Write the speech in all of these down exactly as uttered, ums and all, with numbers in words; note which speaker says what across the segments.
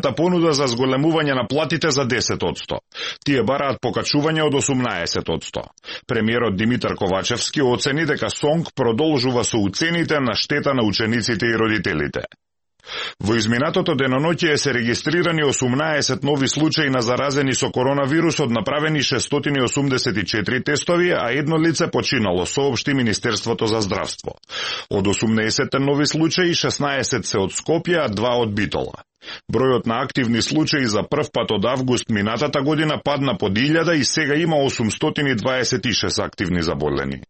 Speaker 1: Та понуда за зголемување на платите за десет одсто. Тие бараат покачување од осумнаесет одсто. Премиерот Димитар Ковачевски оцени дека СОНК продолжува со уцените на штета на учениците и родителите. Во изминатото деноноќе се регистрирани осумнаесет нови случаи на заразени со коронавирус, од направени шестстотини и осумдесет и четири тестови, а едно лице починало, соопшти Министерството за здравство. Од осумнаесет нови случаи, шеснаесет се од Скопје, а два од Битола. Бројот на активни случаи за прв пат од август минатата година падна под илјада и сега има осумстотини дваесет и шест активни заболени.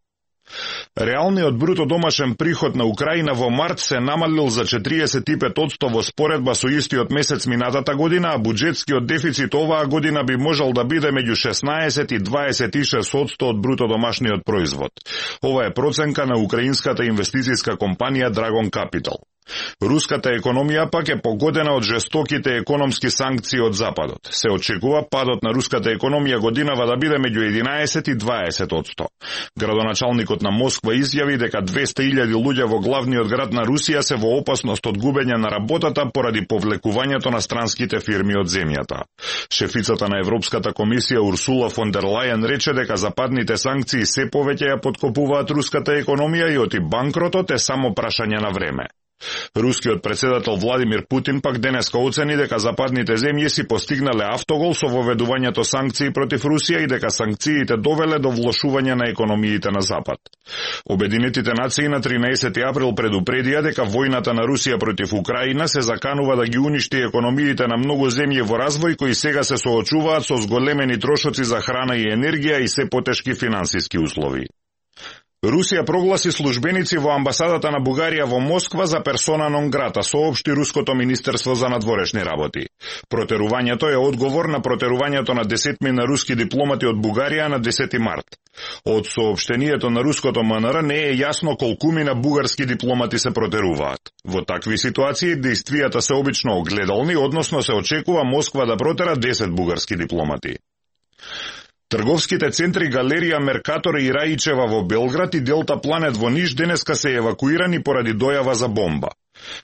Speaker 1: Реалниот бруто домашен приход на Украина во март се намалил за четириесет и пет одсто во споредба со истиот месец минатата година, а буџетскиот дефицит оваа година би можел да биде меѓу шеснаесет и дваесет и шест одсто од бруто домашниот производ. Ова е проценка на украинската инвестицијска компанија Dragon Capital. Руската економија пак е погодена од жестоките економски санкции од Западот. Се очекува падот на руската економија годинава да биде меѓу единаесет и дваесет одсто. Градоначалникот на Москва изјави дека двесте илјади луѓе во главниот град на Русија се во опасност од губење на работата поради повлекувањето на странските фирми од земјата. Шефицата на Европската комисија Урсула фон дер Лајен рече дека западните санкции се повеќе ја поткопуваат руската економија и оти банкротот е само прашање на време. Рускиот председател Владимир Путин пак денеска оцени дека западните земји си постигнале автогол со воведувањето санкции против Русија и дека санкциите довеле до влошување на економиите на Запад. Обединетите нации на тринаесети април предупредија дека војната на Русија против Украина се заканува да ги уништи економиите на многу земји во развој кои сега се соочуваат со зголемени трошоци за храна и енергија и се потешки финансиски услови. Русија прогласи службеници во амбасадата на Бугарија во Москва за персона нон грата, соопшти Руското министерство за надворешни работи. Протерувањето е одговор на протерувањето на десетми на руски дипломати од Бугарија на десети март. Од соопштението на руското МНР не е јасно колкумина бугарски дипломати се протеруваат. Во такви ситуации действијата се обично огледални, односно се очекува Москва да протера десет бугарски дипломати. Трговските центри Галерија Меркатор и Раичева во Белград и Делта Планет во Ниш денеска се евакуирани поради дојава за бомба.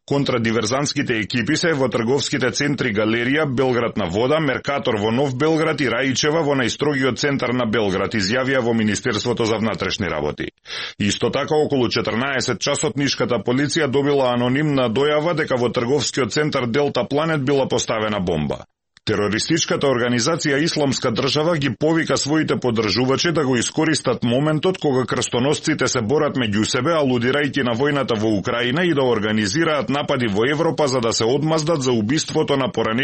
Speaker 1: Контрадиверзантските екипи се во трговските центри Галерија, Белград на вода, Меркатор во Нов Белград и Раичева во најстрогиот центар на Белград, изјавија во Министерството за внатрешни работи. Исто така, околу четрнаесет часот нишката полиција добила анонимна дојава дека во трговскиот центар Делта Планет била поставена бомба. Терористичката организација Исламска држава ги повика своите поддржувачи да го искористат моментот кога крстоносците се борат меѓу себе, алудирајќи на војната во Украина и да организираат напади во Европа за да се одмаздат за убиството на поранешните